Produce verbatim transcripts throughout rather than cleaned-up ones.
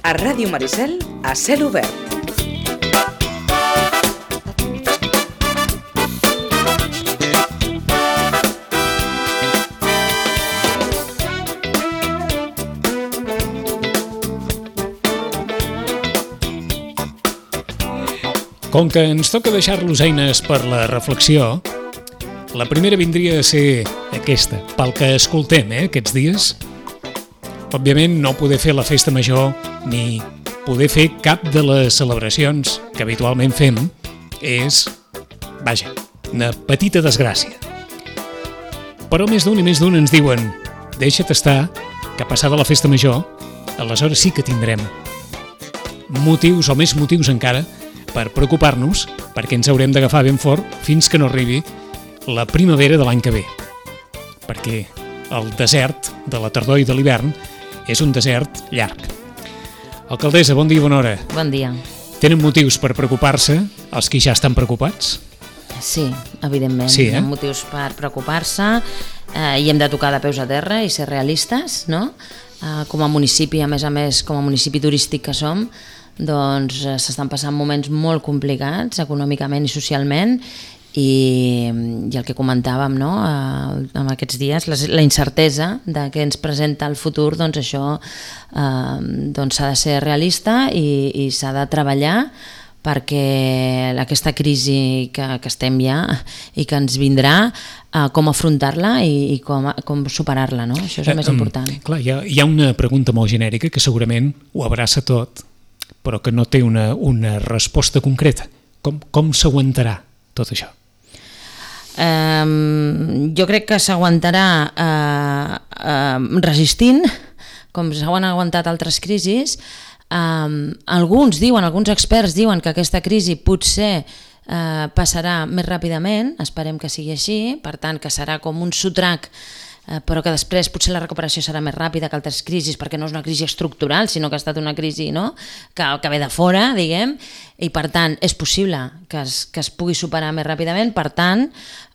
A Ràdio Maricel, a cel obert. Com que ens toca deixar-los eines per la reflexió, la primera vindria a ser aquesta, pel que escoltem eh, aquests dies. Òbviament no poder fer la festa major ni poder fer cap de les celebracions que habitualment fem és, vaja, una petita desgràcia. Però més d'un i més d'un ens diuen deixa't estar, que passada la festa major, aleshores sí que tindrem motius o més motius encara per preocupar-nos, perquè ens haurem d'agafar ben fort fins que no arribi la primavera de l'any que ve. Perquè el desert de la tardor i de l'hivern és un desert llarg. Alcaldessa, bon dia i bona hora. Bon dia. Tenen motius per preocupar-se els que ja estan preocupats? Sí, evidentment. Sí, eh? Hi ha motius per preocupar-se eh, i hem de tocar de peus a terra i ser realistes, no? Eh, com a municipi, a més a més, com a municipi turístic que som, doncs eh, s'estan passant moments molt complicats econòmicament i socialment i, i el que comentàvem no? eh, en aquests dies, la, la incertesa de què ens presenta el futur, doncs això eh, doncs s'ha de ser realista i, i s'ha de treballar perquè aquesta crisi que, que estem ja i que ens vindrà, eh, com afrontar-la i, i com, com superar-la, no? Això és el més important. Eh, clar, hi ha, hi ha una pregunta molt genèrica que segurament ho abraça tot, però que no té una, una resposta concreta. Com, com s'aguantarà tot això? Um, jo crec que s'aguantarà uh, uh, resistint, com s'han aguantat altres crisis. Um, alguns diuen, alguns experts diuen que aquesta crisi potser uh, passarà més ràpidament, esperem que sigui així, per tant que serà com un sotrac, però que després potser la recuperació serà més ràpida que altres crisis, perquè no és una crisi estructural, sinó que ha estat una crisi no? que, que ve de fora, diguem, i per tant és possible que es, que es pugui superar més ràpidament. Per tant,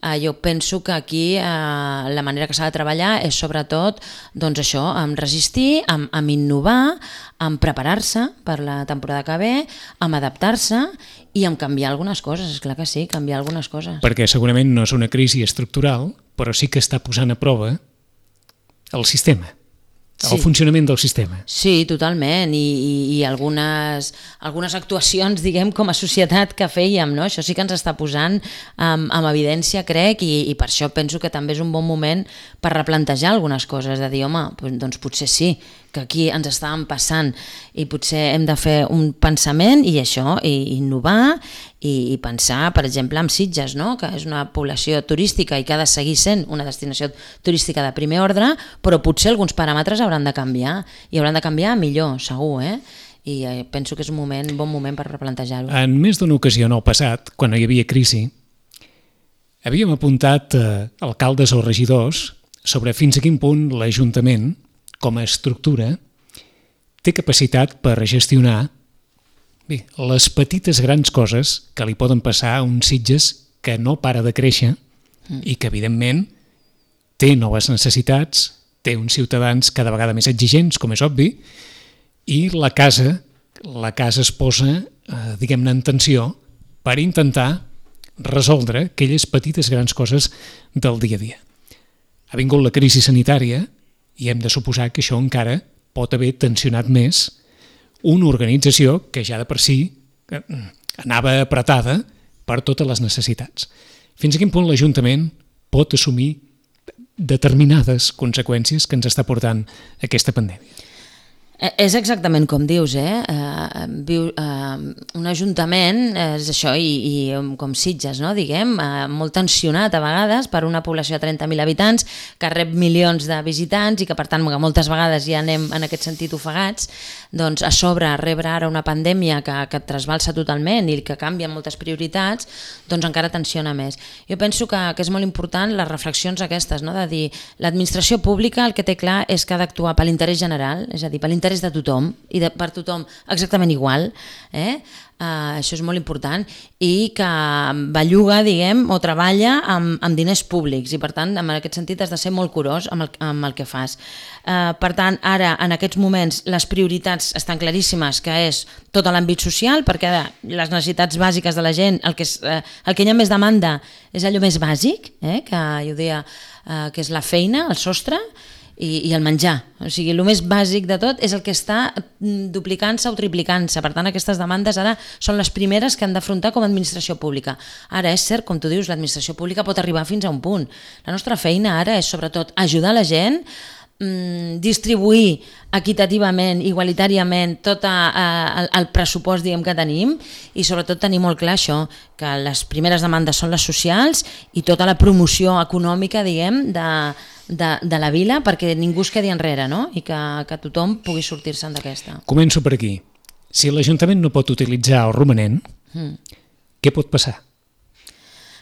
eh, jo penso que aquí eh, la manera que s'ha de treballar és sobretot doncs això, amb resistir, amb, amb innovar, amb preparar-se per la temporada que ve, amb adaptar-se i amb canviar algunes coses, és clar que sí, canviar algunes coses. Perquè segurament no és una crisi estructural, però sí que està posant a prova el sistema, el sí. funcionament del sistema. Sí, totalment, i, i, i algunes, algunes actuacions, diguem, com a societat que fèiem, no? Això sí que ens està posant amb, amb evidència, crec, i, i per això penso que també és un bon moment per replantejar algunes coses, de dir, home, doncs potser sí, que aquí ens estàvem passant i potser hem de fer un pensament i això, i innovar i, i pensar, per exemple, en Sitges, no? Que és una població turística i que ha de seguir sent una destinació turística de primer ordre, però potser alguns paràmetres hauran de canviar i hauran de canviar millor, segur, eh? I eh, penso que és un moment, bon moment per replantejar-ho. En més d'una ocasió en el passat, quan hi havia crisi, havíem apuntat eh, alcaldes o regidors sobre fins a quin punt l'Ajuntament com a estructura, té capacitat per gestionar bé, les petites grans coses que li poden passar a un Sitges que no para de créixer mm. i que, evidentment, té noves necessitats, té uns ciutadans cada vegada més exigents, com és obvi, i la casa, la casa es posa, eh, diguem-ne, en tensió per intentar resoldre aquelles petites grans coses del dia a dia. Ha vingut la crisi sanitària i hem de suposar que això encara pot haver tensionat més una organització que ja de per si anava apretada per totes les necessitats. Fins a quin punt l'Ajuntament pot assumir determinades conseqüències que ens està portant aquesta pandèmia? És exactament com dius, eh? Uh, viu, uh, un ajuntament és això, i, i com Sitges, no? Diguem, uh, molt tensionat a vegades per una població de trenta mil habitants que rep milions de visitants i que per tant moltes vegades ja anem en aquest sentit ofegats, doncs a sobre rebre ara una pandèmia que, que et trasbalsa totalment i que canvia moltes prioritats, doncs encara tensiona més. Jo penso que, que és molt important les reflexions aquestes, no? De dir, l'administració pública el que té clar és que ha d'actuar per l'interès general, és a dir, per l'interès és de tothom i de, per tothom exactament igual, eh? Uh, això és molt important, i que belluga, diguem, o treballa amb, amb diners públics, i per tant, en aquest sentit has de ser molt curós amb el, amb el que fas. Uh, per tant, ara, en aquests moments, les prioritats estan claríssimes, que és tot l'àmbit social, perquè ara, les necessitats bàsiques de la gent, el que, és, uh, el que hi ha més demanda és allò més bàsic, eh? Que jo deia uh, que és la feina, el sostre, I, i el menjar. O sigui, el més bàsic de tot és el que està duplicant-se o triplicant-se. Per tant, aquestes demandes ara són les primeres que han d'afrontar com a administració pública. Ara, és cert, com tu dius, l'administració pública pot arribar fins a un punt. La nostra feina ara és, sobretot, ajudar la gent, mmm, distribuir equitativament, igualitàriament tot a, a, el, el pressupost, diguem, que tenim, i sobretot tenir molt clar això, que les primeres demandes són les socials i tota la promoció econòmica, diguem, de, de, de la vila, perquè ningú es quedi enrere, no? I que, que tothom pugui sortir-se'n d'aquesta. Començo per aquí. Si l'Ajuntament no pot utilitzar el romanent, mm. què pot passar?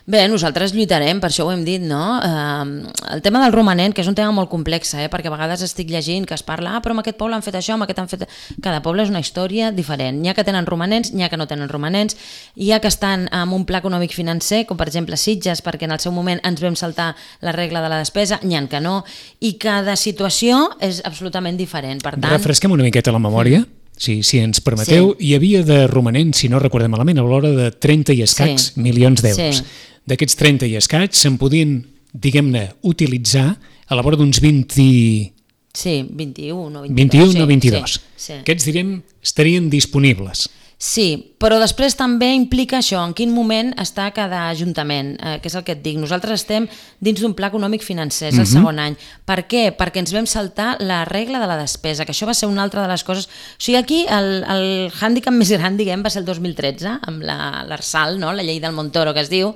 Bé, nosaltres lluitarem, per això ho hem dit, no? Eh, el tema del romanent, que és un tema molt complex, eh? Perquè a vegades estic llegint que es parla, ah, però amb aquest poble han fet això, amb aquest han fet... Cada poble és una història diferent. N'hi ha que tenen romanents, n'hi ha que no tenen romanents, hi ha que estan amb un pla econòmic financer, com per exemple Sitges, perquè en el seu moment ens vam saltar la regla de la despesa, n'hi ha que no, i cada situació és absolutament diferent. Per tant... Refresquem una miqueta la memòria. Mm. Si, si ens permeteu, sí. Hi havia de romanent, si no recordem malament, a l'hora de trenta i escacs sí. milions d'euros. Sí. D'aquests trenta i escaig se'n podien, diguem-ne, utilitzar a la vora d'uns vint... Sí, vint-i-u, no vint-i-dos. vint-i-u, no vint-i-dos. Sí, sí. Aquests, direm, estarien disponibles. Sí, però després també implica això, en quin moment està cada ajuntament, eh, que és el que et dic. Nosaltres estem dins d'un pla econòmic financer, és el uh-huh. segon any. Per què? Perquè ens vam saltar la regla de la despesa, que això va ser una altra de les coses... O sigui, aquí el, el hàndicap més gran, diguem, va ser el dos mil tretze, amb l'Arsal, no? La llei del Montoro, que es diu,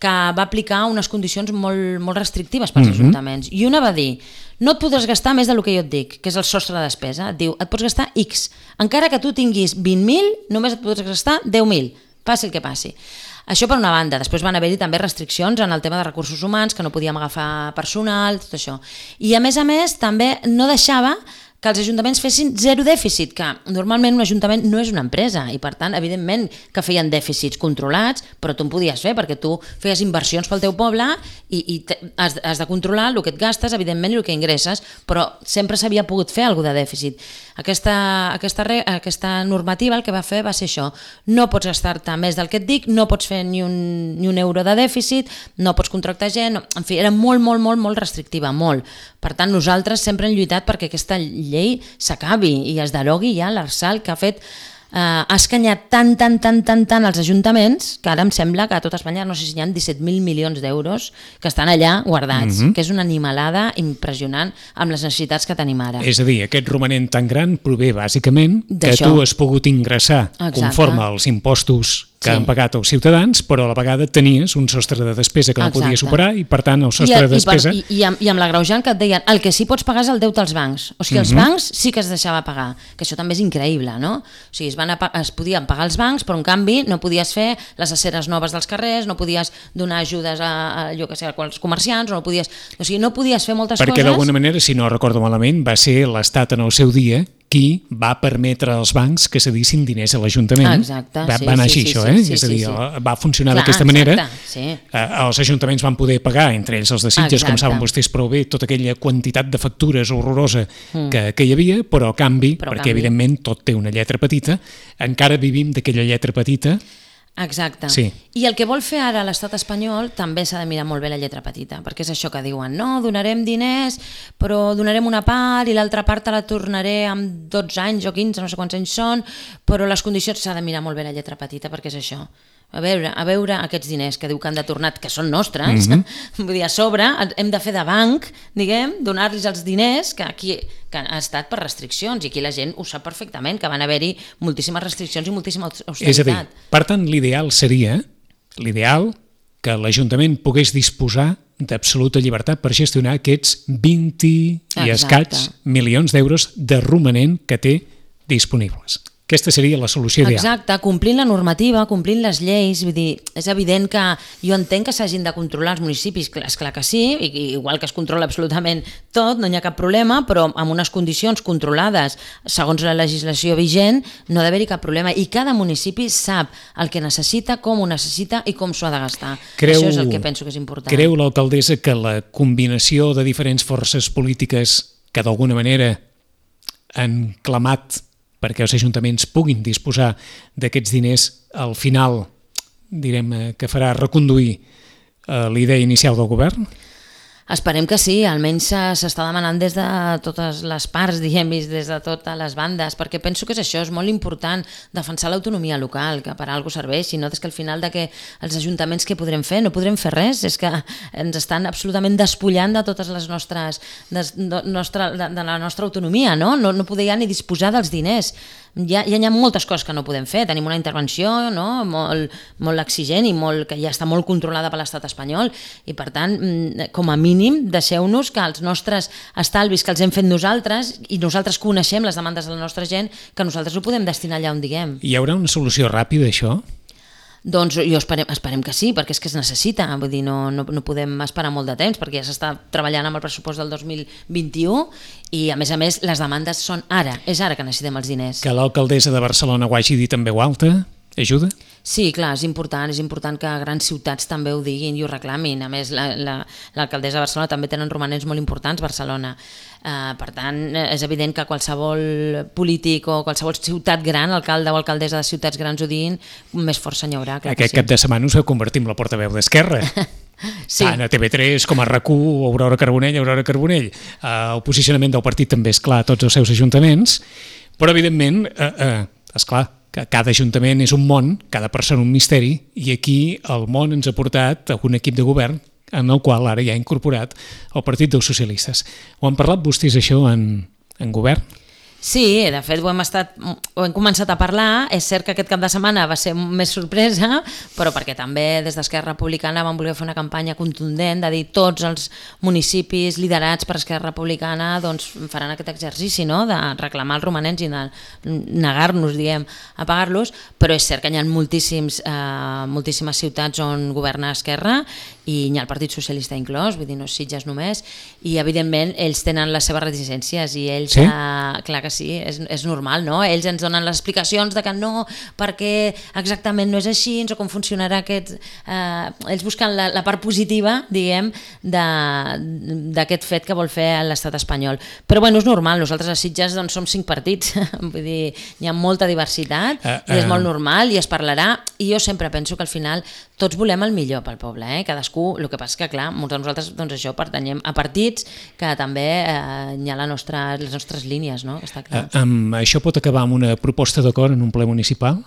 que va aplicar unes condicions molt, molt restrictives pels uh-huh. ajuntaments. I una va dir, no et podràs gastar més del que jo et dic, que és el sostre de despesa. Et diu, et pots gastar X. Encara que tu tinguis vint mil, només et pots gastar deu mil, passi el que passi. Això per una banda. Després van haver-hi també restriccions en el tema de recursos humans, que no podíem agafar personal, tot això. I a més a més també no deixava que els ajuntaments fessin zero dèficit, que normalment un ajuntament no és una empresa i per tant, evidentment, que feien dèficits controlats, però tu en podies fer perquè tu feies inversions pel teu poble i, i has, has de controlar el que et gastes, evidentment, i el que ingresses, però sempre s'havia pogut fer alguna de dèficit. Aquesta, aquesta, aquesta normativa el que va fer va ser això, no pots gastar-te més del que et dic, no pots fer ni un, ni un euro de dèficit, no pots contractar gent, no, en fi, era molt, molt, molt, molt restrictiva, molt. Per tant, nosaltres sempre hem lluitat perquè aquesta llei s'acabi i es derogui ja l'Arsal, que ha fet eh, ha escanyat tant, tant, tant, tant, tant als ajuntaments, que ara em sembla que a tot Espanya no sé si hi ha disset mil milions d'euros que estan allà guardats, mm-hmm. que és una animalada impressionant amb les necessitats que tenim ara. És a dir, aquest romanent tan gran prové bàsicament que tu has pogut ingressar Exacte. Conforme als impostos que sí. han pagat els ciutadans, però a la vegada tenies un sostre de despesa que no Exacte. Podia superar i, per tant, el sostre I, de despesa... I, per, i, i, amb, I amb l'agreujant que et deien, el que sí pots pagar és el deute als bancs. O sigui, els mm-hmm. bancs sí que es deixava pagar, que això també és increïble, no? O sigui, es, van a, es podien pagar els bancs, però en canvi no podies fer les aceres noves dels carrers, no podies donar ajudes a, a allò que sé, als comerciants, no podies... O sigui, no podies fer moltes Perquè, coses... Perquè d'alguna manera, si no recordo malament, va ser l'Estat en el seu dia qui va permetre als bancs que cedissin diners a l'Ajuntament. Exacte, va, sí, va anar sí, així, sí, això, eh? Sí, sí, és a dir, sí, sí. va funcionar d'aquesta manera. Sí. Eh, els ajuntaments van poder pagar, entre ells els de Sitges, exacte. Com saben vostès prou bé, tota aquella quantitat de factures horrorosa mm. que, que hi havia, però a canvi, però perquè canvi. Evidentment tot té una lletra petita, encara vivim d'aquella lletra petita. Exacte. Sí. I el que vol fer ara l'estat espanyol també s'ha de mirar molt bé la lletra petita, perquè és això que diuen, no, donarem diners, però donarem una part i l'altra part te la tornaré amb dotze anys o quinze, no sé quants anys són, però les condicions s'ha de mirar molt bé la lletra petita, perquè és això. A veure, a veure aquests diners que diu que han de tornar, que són nostres, mm-hmm. vull dir, a sobre hem de fer de banc, diguem, donar-los els diners que aquí que ha estat per restriccions, i aquí la gent ho sap perfectament, que van haver-hi moltíssimes restriccions i moltíssima austeritat. És a dir, per tant, l'ideal seria, l'ideal que l'Ajuntament pogués disposar d'absoluta llibertat per gestionar aquests vint i escaig milions d'euros de romanent que té disponibles. Aquesta seria la solució ideal. Exacte, complint la normativa, complint les lleis, vull dir, és evident que jo entenc que s'hagin de controlar els municipis, és clar que sí, i igual que es controla absolutament tot, no hi ha cap problema, però amb unes condicions controlades segons la legislació vigent no ha d'haver-hi cap problema, i cada municipi sap el que necessita, com ho necessita i com s'ho ha de gastar. Creu, Això és el que penso que és important. Creu l'alcaldessa que la combinació de diferents forces polítiques que d'alguna manera han clamat perquè els ajuntaments puguin disposar d'aquests diners, al final, direm, que farà reconduir eh, la idea inicial del govern? Esperem que sí, almenys s'està demanant des de totes les parts, diguem, des de totes les bandes, perquè penso que és això, és molt important defensar l'autonomia local, que per a alguna cosa serveixi, no? Des que al final de que els ajuntaments què podrem fer? No podrem fer res, és que ens estan absolutament despullant de totes les nostres, de, de, nostra, de, de la nostra autonomia, no? No, no poder ja ni disposar dels diners. Ja, ja hi ha moltes coses que no podem fer, tenim una intervenció, no? molt, molt exigent i molt, que ja està molt controlada per l'estat espanyol, i per tant, com a mínim, deixeu-nos que els nostres estalvis que els hem fet nosaltres, i nosaltres coneixem les demandes de la nostra gent, que nosaltres ho podem destinar allà on diguem. Hi haurà una solució ràpida, això? Doncs jo esperem, esperem que sí, perquè és que es necessita, vull dir, no, no, no podem esperar molt de temps, perquè ja s'està treballant amb el pressupost del dos mil vint-i-u i, a més a més, les demandes són ara, és ara que necessitem els diners. Que l'alcaldessa de Barcelona ho hagi dit en veu alta ajuda? Sí, clar, és important, és important que grans ciutats també ho diguin i ho reclamin. A més, l'alcaldessa de Barcelona també tenen romanents molt importants, Barcelona. Uh, per tant, és evident que qualsevol polític o qualsevol ciutat gran, alcalde o alcaldessa de ciutats grans ho diguin, més força n'hi haurà. Aquest cap de setmana us va convertir en la portaveu d'Esquerra. Sí. Tant a T V tres com a RAC u, Aurora Carbonell, Aurora Carbonell. Uh, el posicionament del partit també és clar a tots els seus ajuntaments, però evidentment, uh, uh, és clar, que cada ajuntament és un món, cada persona un misteri, i aquí el món ens ha portat a un equip de govern en el qual ara ja ha incorporat el Partit dels Socialistes. Ho han parlat vostès això en, en govern? Sí, de fet ho hem, estat, ho hem començat a parlar. És cert que aquest cap de setmana va ser més sorpresa, però perquè també des d'Esquerra Republicana vam voler fer una campanya contundent de dir tots els municipis liderats per Esquerra Republicana doncs, faran aquest exercici, no? De reclamar els romanents i de negar-nos, diguem, a pagar-los, però és cert que hi ha moltíssims, eh, moltíssimes ciutats on governa Esquerra i hi ha el Partit Socialista inclòs, vull dir, no Sitges només, i evidentment ells tenen les seves reticències i ells, sí? eh, clar que sí, és, és normal, no? Ells ens donen les explicacions de que no, perquè exactament no és així, o com funcionarà aquest... Eh, ells busquen la, la part positiva, diguem, d'aquest fet que vol fer l'estat espanyol. Però bueno, és normal, nosaltres a Sitges doncs, som cinc partits, vull dir, hi ha molta diversitat, uh, uh. i és molt normal, i es parlarà, i jo sempre penso que al final tots volem el millor pel poble, eh? Cadascú, el que passa que clar, molts de nosaltres doncs això pertanyem a partits que també eh, hi ha la nostra, les nostres línies, no? Està clar. Uh, um, això pot acabar amb una proposta d'acord en un ple municipal?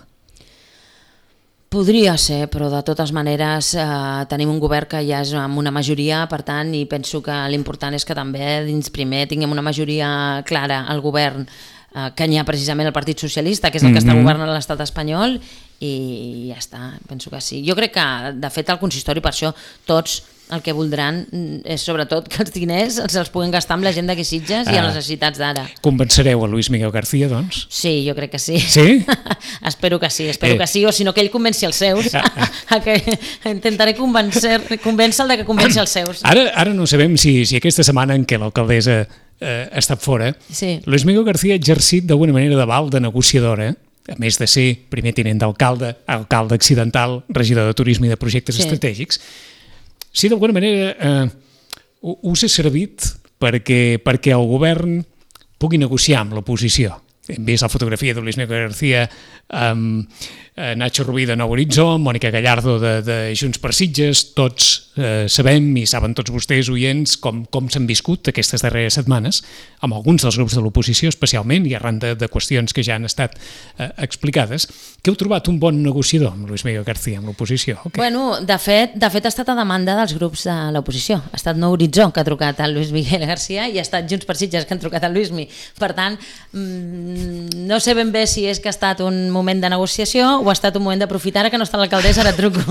Podria ser, però de totes maneres eh, tenim un govern que ja és amb una majoria, per tant, i penso que l'important és que també dins primer tinguem una majoria clara al govern, eh, que n'hi ha precisament el Partit Socialista, que és el que mm-hmm. està governant l'estat espanyol, i ja està, penso que sí. Jo crec que, de fet, al consistori per això tots el que voldran és sobretot que els diners se'ls puguin gastar amb la gent d'aquí Sitges ah. i a les necessitats d'ara. Convencereu a Luis Miguel García, doncs? Sí, jo crec que sí. Sí? espero que sí, espero eh. que sí, o si no que ell convenci els seus. Ah. a que intentaré convèncer, convèncer-lo de que convenci els seus. Ara, ara no sabem si, si aquesta setmana en què l'alcaldessa eh, ha estat fora, sí. Luis Miguel García ha exercit d'alguna manera de val de negociadora, a més de ser primer tinent d'alcalde, alcalde accidental, regidor de turisme i de projectes sí. estratègics, si d'alguna manera eh, us ha servit perquè, perquè el govern pugui negociar amb l'oposició. Hem vist la fotografia de Luis Miguel García amb eh, Nacho Rubí de Nou Horitzó, Mònica Gallardo de, de Junts per Sitges, tots eh, sabem i saben tots vostès, oients, com, com s'han viscut aquestes darreres setmanes, amb alguns dels grups de l'oposició especialment, i arran de, de qüestions que ja han estat eh, explicades. Que heu trobat un bon negociador amb Luis Miguel García, amb l'oposició? Okay. Bueno, de fet, de fet ha estat a demanda dels grups de l'oposició. Ha estat Nou Horitzó que ha trucat a Luis Miguel García i ha estat Junts per Sitges que han trucat a Luismi. Per tant, no sé ben bé si és que ha estat un moment de negociació, o ha estat un moment d'aprofitar, ara que no està l'alcaldessa, ara truco,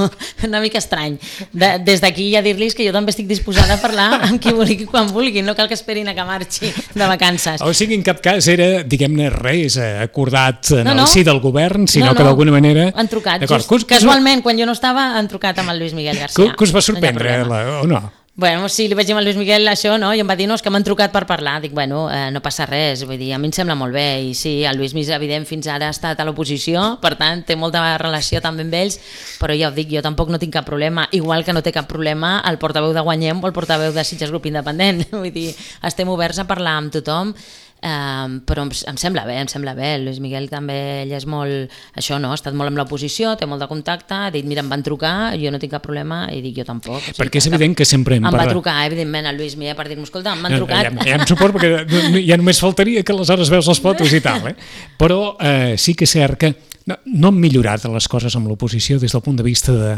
una mica estrany. De, des d'aquí ja dir-los que jo també estic disposada a parlar amb qui vulgui quan vulguin, no cal que esperin a que marxi de vacances. O sigui, en cap cas era, diguem-ne, res acordat en no, no. el si del govern, sinó no, no. que d'alguna manera... Han trucat, just, que us, casualment, quan jo no estava, han trucat amb el Lluís Miguel García. Que, que us va sorprendre, no la, o no? Bueno, sí, li vaig dir al Lluís Miguel això, no? I em va dir, no, és que m'han trucat per parlar. Dic, bueno, eh, no passa res, vull dir, a mi em sembla molt bé. I sí, el Lluís Miguel, evident, fins ara ha estat a l'oposició, per tant, té molta relació també amb ells, però ja ho dic, jo tampoc no tinc cap problema, igual que no té cap problema el portaveu de Guanyem o el portaveu de Sitges Grup Independent. Vull dir, estem oberts a parlar amb tothom, Um, però em, em sembla bé, em sembla bé. El Lluís Miguel també, ell és molt, això no, ha estat molt amb l'oposició, té molt de contacte, ha dit, mira, em van trucar, jo no tinc cap problema, i dic, jo tampoc. O sigui, perquè és evident que sempre hem parlat. Em parlat. va trucar, evidentment, el Lluís Miguel per dir-me, escolta, m'han trucat. Ja, ja em suporto, perquè ja només faltaria que aleshores veus les fotos i tal, eh? Però eh, sí que és cert que no, no han millorat les coses amb l'oposició des del punt de vista de...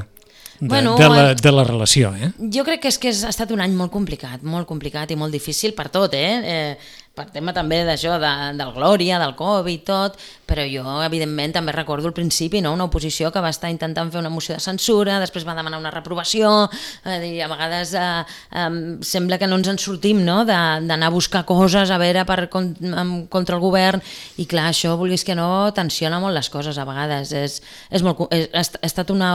De, bueno, de, la, de la relació, eh? Jo crec que és que ha estat un any molt complicat, molt complicat i molt difícil per tot, eh? eh per tema també d'això, de, del Glòria, del Covid, tot, però jo, evidentment, també recordo al principi, no?, una oposició que va estar intentant fer una moció de censura, després va demanar una reprovació, eh, i a vegades eh, eh, sembla que no ens en sortim, no?, d'anar a buscar coses, a veure, per, contra el govern, i clar, això, vulguis que no, tensiona molt les coses a vegades, és, és molt, és, ha estat una,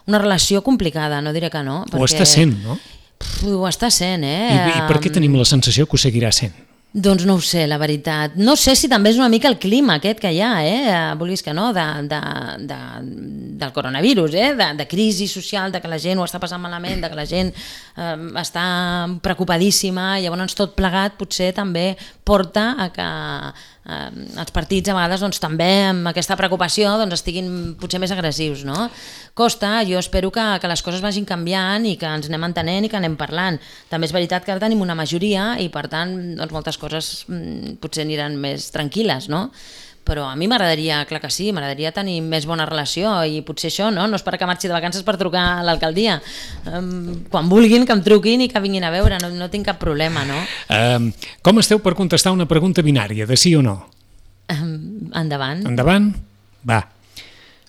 una relació complicada, no diré que no. Perquè, ho està sent, no? Pff, ho està sent, eh? I, I per què tenim la sensació que ho seguirà sent? Doncs no ho sé, la veritat. No sé si també és una mica el clima aquest que hi ha, eh? Vulguis que no, de, de, de, del coronavirus, eh? de, de crisi social, de que la gent ho està passant malament, de que la gent eh, està preocupadíssima, llavors tot plegat potser també porta a que eh, els partits a vegades doncs, també amb aquesta preocupació doncs, estiguin potser més agressius, no? Costa, jo espero que, que les coses vagin canviant i que ens anem entenent i que anem parlant. També és veritat que ara tenim una majoria i per tant doncs, moltes coses mm, potser aniran més tranquil·les, no? Però a mi m'agradaria, clar que sí, m'agradaria tenir més bona relació i potser això, no? No esperar que marxi de vacances per trucar a l'alcaldia. Um, quan vulguin que em truquin i que vinguin a veure, no, no tinc cap problema, no? Um, com esteu per contestar una pregunta binària, de sí o no? Um, endavant. Endavant? Va.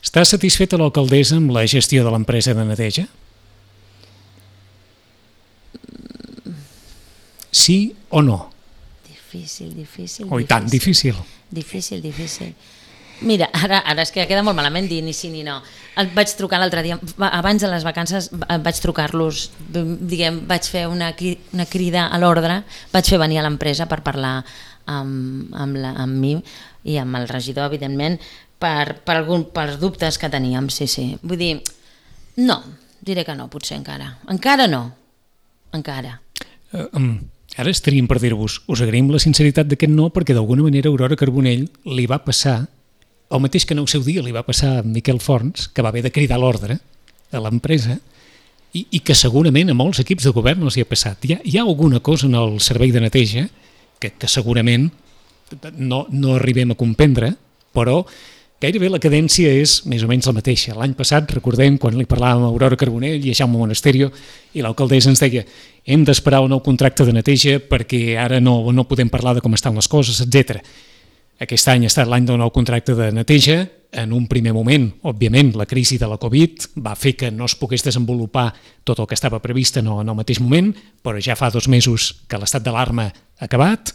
Està satisfeta l'alcaldessa amb la gestió de l'empresa de neteja? Sí o no? Difícil, difícil. Oh, i tant, difícil. Difícil, difícil. Mira, ara, ara és que queda molt malament dir ni sí ni no. El vaig trucar l'altre dia, abans de les vacances vaig trucar-los, diguem, vaig fer una, una crida a l'ordre, vaig fer venir a l'empresa per parlar amb, amb, la, amb mi i amb el regidor, evidentment, per, per, algun, per dubtes que teníem, sí, sí. Vull dir, no, diré que no, potser encara. Encara no, encara. Uh, um. Ara estaríem per dir-vos, us agraïm la sinceritat d'aquest no, perquè d'alguna manera Aurora Carbonell li va passar, el mateix que en el seu dia li va passar a Miquel Forns, que va haver de cridar l'ordre a l'empresa, i, i que segurament a molts equips de govern els hi ha passat. Hi ha, hi ha alguna cosa en el servei de neteja que, que segurament no, no arribem a comprendre, però gairebé la cadència és més o menys la mateixa. L'any passat, recordem, quan li parlàvem a Aurora Carbonell i a Jaume Monasterio, i l'alcaldessa ens deia hem d'esperar un nou contracte de neteja perquè ara no, no podem parlar de com estan les coses, etcètera. Aquest any ha estat l'any del nou contracte de neteja. En un primer moment, òbviament, la crisi de la Covid va fer que no es pogués desenvolupar tot el que estava previst en el, en el mateix moment, però ja fa dos mesos que l'estat d'alarma ha acabat.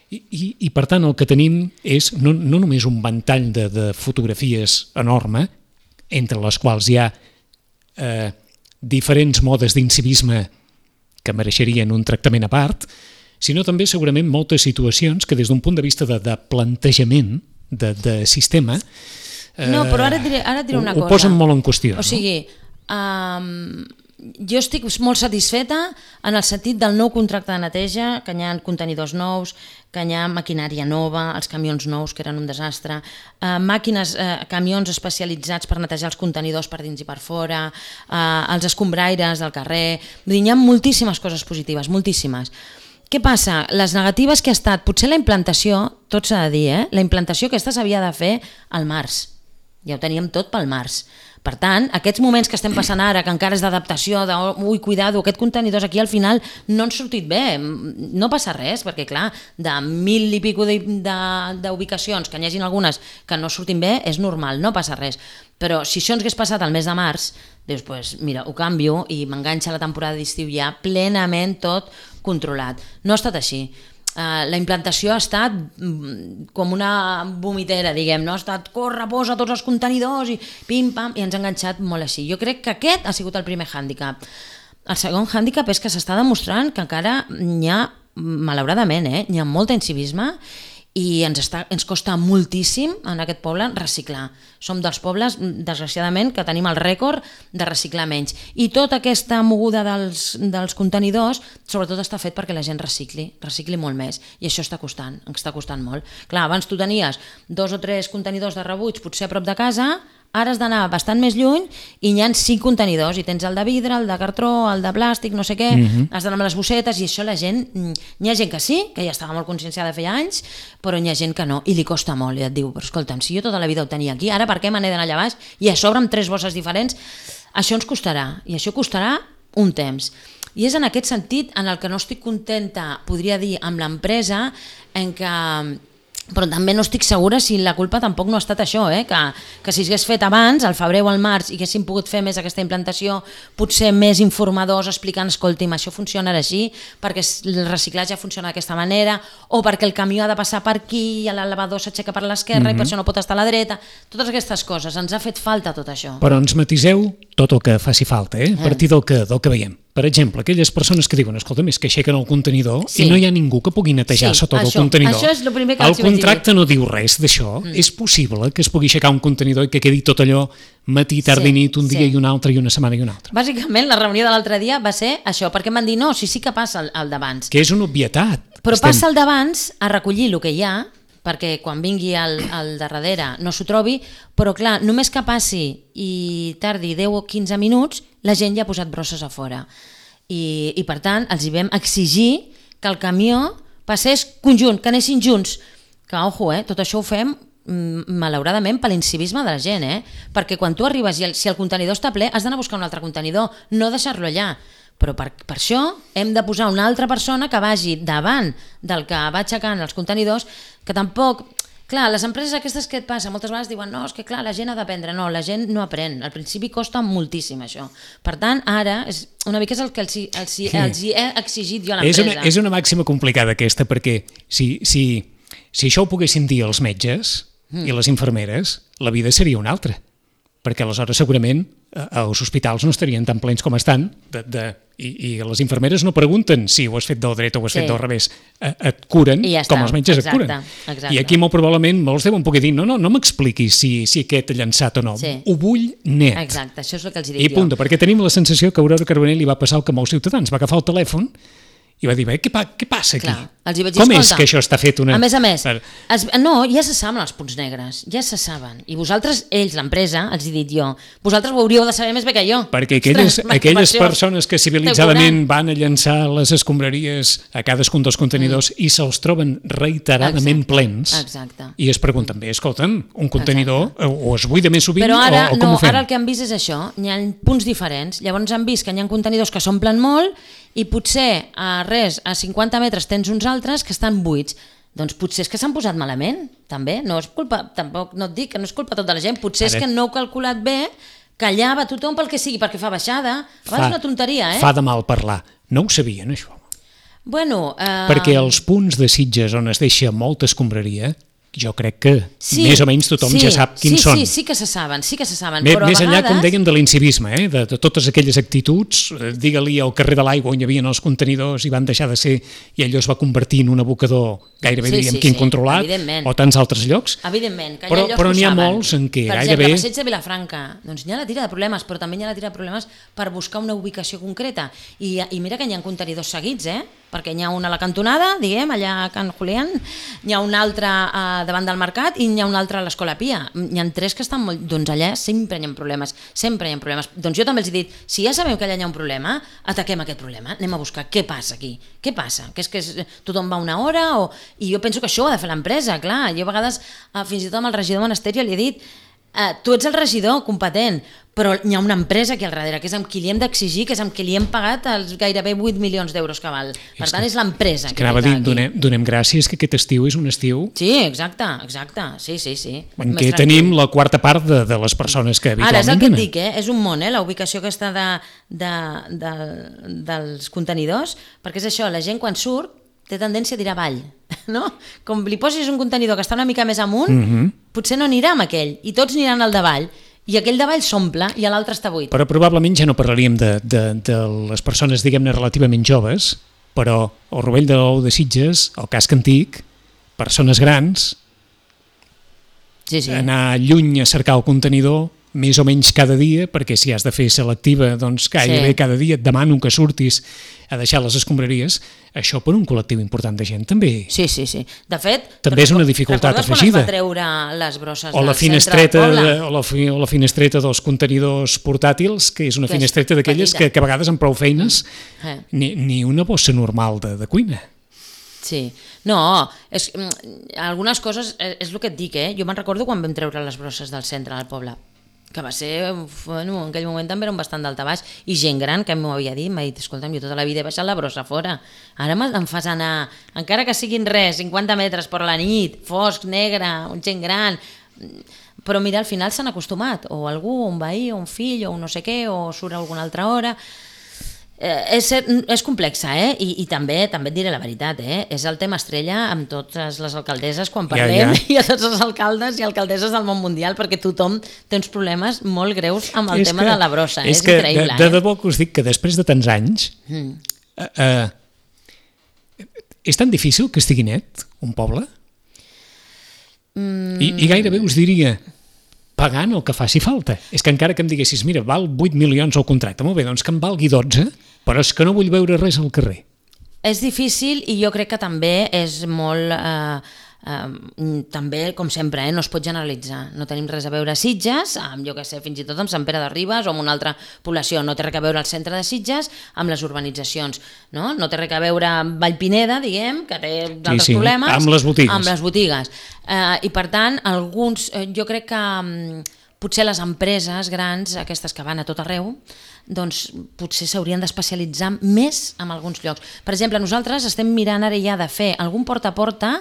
I, i, i per tant el que tenim és no, no només un ventall de, de fotografies enorme, entre les quals hi ha eh, diferents modes d'incivisme que mereixerien un tractament a part, sinó també segurament moltes situacions que des d'un punt de vista de, de plantejament de, de sistema eh, no, però ara diré, ara diré una ho, cosa. Ho posen molt en qüestió. O sigui, um, jo estic molt satisfeta en el sentit del nou contracte de neteja, que hi ha contenidors nous, que hi ha maquinària nova, els camions nous, que eren un desastre, eh, màquines, eh, camions especialitzats per netejar els contenidors per dins i per fora, eh, els escombraires del carrer. Vull dir, hi ha moltíssimes coses positives, moltíssimes. Què passa? Les negatives que ha estat, potser la implantació, tot s'ha de dir, eh? La implantació aquesta s'havia de fer al març. Ja ho teníem tot pel març. Per tant, aquests moments que estem passant ara, que encara és d'adaptació, de ui, cuidado, aquest contenidors aquí al final no han sortit bé, no passa res, perquè clar, de mil i pico d'ubicacions, que n'hi hagin algunes que no surtin bé, és normal, no passa res. Però si això ens hagués passat al mes de març, dius, pues, mira, ho canvio i m'enganxa la temporada d'estiu ja plenament tot controlat. No ha estat així. Uh, la implantació ha estat mm, com una vomitera, diguem, no? Ha estat corre, posa tots els contenidors i pim-pam, i ens ha enganxat molt així. Jo crec que aquest ha sigut el primer hàndicap. El segon hàndicap és que s'està demostrant que encara n'hi ha, malauradament, eh, n'hi ha molt incivisme i ens, està, ens costa moltíssim en aquest poble reciclar. Som dels pobles, desgraciadament, que tenim el rècord de reciclar menys. I tota aquesta moguda dels, dels contenidors, sobretot està fet perquè la gent recicli, recicli molt més. I això està costant, ens està costant molt. Clar, abans tu tenies dos o tres contenidors de rebuig, potser a prop de casa, ara has d'anar bastant més lluny i n'hi ha cinc contenidors, i tens el de vidre, el de cartró, el de plàstic, no sé què, mm-hmm. has d'anar amb les bossetes, i això la gent, n'hi ha gent que sí, que ja estava molt conscienciada feia anys, però n'hi ha gent que no, i li costa molt, i et diu, però escolta'm, si jo tota la vida ho tenia aquí, ara per què me n'he d'anar allà baix, i a sobre amb tres bosses diferents, això ens costarà, i això costarà un temps. I és en aquest sentit en el que no estic contenta, podria dir, amb l'empresa, en què... però també no estic segura si la culpa tampoc no ha estat això, eh? que, que si s'hagués fet abans, al febrer o al març, i haguéssim pogut fer més aquesta implantació, potser més informadors explicant, escolti'm, això funciona així, perquè el reciclatge funciona d'aquesta manera, o perquè el camió ha de passar per aquí i l'elevador s'aixeca per l'esquerra, mm-hmm. i per això no pot estar a la dreta, totes aquestes coses, ens ha fet falta tot això. Però ens matiseu tot el que faci falta, eh? a partir del que, del que veiem. Per exemple, aquelles persones que diuen, escolta, és que aixequen el contenidor sí. i no hi ha ningú que pugui netejar sí, sota això, el contenidor. Això és el primer que el contracte no diu res d'això. Mm. És possible que es pugui aixecar un contenidor i que quedi tot allò matí, tard i nit, un dia sí. i un altre, i una setmana i un altre. Bàsicament, la reunió de l'altre dia va ser això, perquè em van dir, no, sí, sí que passa el, el d'abans. Que és una obvietat. Però Estem... passa el d'abans a recollir el que hi ha, perquè quan vingui el, el de darrere no s'ho trobi, però clar, només que passi i tardi deu o quinze minuts, la gent ja ha posat brosses a fora. I, i per tant els hi vam exigir que el camió passés conjunt, que anessin junts, que ojo, eh, tot això ho fem malauradament per l'incivisme de la gent, eh? Perquè quan tu arribes i el, si el contenidor està ple has d'anar a buscar un altre contenidor, no deixar-lo allà, però per, per això hem de posar una altra persona que vagi davant del que va aixecant els contenidors, que tampoc... Clar, les empreses aquestes que et passa, moltes vegades diuen no, és que clar, la gent ha d'aprendre, no, la gent no aprèn, al principi costa moltíssim això. Per tant, ara, és, una mica és el que els, els, els, els he exigit jo a l'empresa. És una, és una màxima complicada aquesta, perquè si, si, si això ho poguessin dir els metges mm. i les infermeres, la vida seria una altra, perquè aleshores segurament els hospitals no estarien tan plens com estan de, de, i, i les infermeres no pregunten si ho has fet del dret o ho has sí. fet del revés, et curen ja com els metges exacte, et curen exacte. I aquí molt probablement molts deuen poder dir no, no, no m'expliquis si, si aquest ha llançat o no sí. ho vull net exacte, això és el que els dic i punt, perquè tenim la sensació que a Aurora Carbonell li va passar el que molts ciutadans, va agafar el telèfon i va dir, què, pa, què passa aquí? Clar, els hi vaig dir, com escolta, és que això està fet una... A més a més, per... es, no, ja se saben els punts negres, ja se saben. I vosaltres, ells, l'empresa, els he dit jo, vosaltres ho hauríeu de saber més bé que jo. Perquè aquelles, Ostres, aquelles persones que civilitzadament van a llançar les escombraries a cadascun dels contenidors mm. i se'ls troben reiteradament exacte, plens exacte. I es pregunten bé, escolta'm, un contenidor exacte. o es buida més sovint Però ara, o, o com no, ho fem? Ara el que han vist és això, hi ha punts diferents, llavors han vist que hi ha contenidors que s'omplen molt i potser a res, a cinquanta metres tens uns altres que estan buits. Doncs potser és que s'han posat malament, també. No és culpa, tampoc no et dic que no és culpa tota la gent, potser és que no heu calculat bé que allà va tothom pel que sigui, perquè fa baixada. A vegades és una tonteria, eh? Fa de mal parlar. No ho sabien, això. Bueno... Eh... Perquè els punts de Sitges on es deixa molta escombraria, jo crec que sí, més o menys tothom sí, ja sap quins sí, són. Sí, sí que se saben, sí que se saben. Més, però més a enllà, vegades... com dèiem, de l'incivisme, eh? de, de totes aquelles actituds, digue-li al carrer de l'Aigua on hi havia els contenidors i van deixar de ser i allò es va convertir en un abocador gairebé, sí, diríem, sí, que sí, incontrolat, o tants altres llocs. Evidentment, que hi ha però, llocs però que n'hi ha saben. molts en què per gairebé... Per exemple, Passeig de Vilafranca, doncs hi ha la tira de problemes, però també hi ha la tira de problemes per buscar una ubicació concreta. I, i mira que hi ha contenidors seguits, eh? Perquè n'hi ha una a la cantonada, diguem, allà a Can Julián, n'hi ha un altre uh, davant del mercat i n'hi ha un altre a l'Escola Pia. N'hi ha tres que estan molt... Doncs allà sempre hi ha problemes, sempre hi ha problemes. Doncs jo també els he dit, si ja sabem que allà hi ha un problema, ataquem aquest problema, anem a buscar què passa aquí, què passa, que és que és, tothom va una hora o... I jo penso que això ho ha de fer l'empresa, clar. Jo a vegades, uh, fins i tot amb el regidor de Monasterio li he dit eh, tu ets el regidor competent, però hi ha una empresa aquí al darrere, que és amb qui li hem d'exigir, que és amb qui li hem pagat els gairebé vuit milions d'euros que val. Per tant, és l'empresa que que anava a dir, aquí. donem, donem gràcies que aquest estiu és un estiu Sí, exacte, exacte, sí, sí, sí. en Més què tranquil. tenim la quarta part de, de les persones que habitualment Ara, és el que et venen. dic, eh? És un món, eh? La ubicació aquesta de, de, de, dels contenidors, perquè és això, la gent quan surt té tendència a dir avall, no? Com li posis un contenidor que està una mica més amunt, Mhm. potser no anirà amb aquell, i tots aniran al davall, i aquell davall s'omple i l'altre està buit. Però probablement ja no parlaríem de, de, de les persones, diguem-ne, relativament joves, però el Rovell de l'Ou de Sitges, el casc antic, persones grans, Sí, sí. anar lluny a cercar el contenidor més o menys cada dia, perquè si has de fer selectiva, doncs gairebé Sí. cada dia et demano que surtis a deixar les escombraries, això per un col·lectiu important de gent també. Sí, sí, sí. De fet... També és una dificultat recordes afegida. quan es va treure les brosses O la, del finestreta, centre del de, poble? o, la, fi- o la finestreta dels contenidors portàtils, que és una Que és finestreta d'aquelles petita. que, que a vegades amb prou feines Eh. ni, ni una bossa normal de, de cuina. Sí, no, és, mm, algunes coses, és, és el que et dic, eh? Jo me'n recordo quan vam treure les brosses del centre del poble, que va ser, bueno, en aquell moment també eren bastant d'alta baix, i gent gran que m'ho havia dit, m'ha dit, escolta'm, jo tota la vida he baixat la brossa fora, ara me- em fas anar, encara que siguin res, cinquanta metres per la nit, fosc, negre, gent gran, però mira, al final s'han acostumat, o algú, un veí, o un fill, o un no sé què, o surt a alguna altra hora. Eh, és, és complexa, eh? I, i també també et diré la veritat, eh? És el tema estrella amb totes les alcaldesses quan Ja, parlem, ja. i a tots els alcaldes i alcaldesses del món mundial, perquè tothom té uns problemes molt greus amb el És tema que- de la brossa, eh? és És, que increïble. de, de eh? debò que us dic que després de tants anys Mm. eh, eh, és tan difícil que estigui net un poble? Mm. I, I gairebé us diria pagant el que faci falta. És que encara que em diguessis, mira, val vuit milions el contracte, molt bé, doncs que em valgui dotze, però és que no vull veure res al carrer. És difícil i jo crec que també és molt... Eh, eh, també, com sempre, eh, no es pot generalitzar. No tenim res a veure a Sitges, amb, jo què sé, fins i tot amb Sant Pere de Ribes o amb una altra població. No té res a veure al centre de Sitges amb les urbanitzacions. No, no té res a veure amb Vallpineda, diguem, que té d'altres sí, problemes. amb les botigues. Amb les botigues. Eh, I per tant, alguns, eh, jo crec que mm, potser les empreses grans, aquestes que van a tot arreu, doncs potser s'haurien d'especialitzar més en alguns llocs. Per exemple, nosaltres estem mirant ara ja de fer algun porta a porta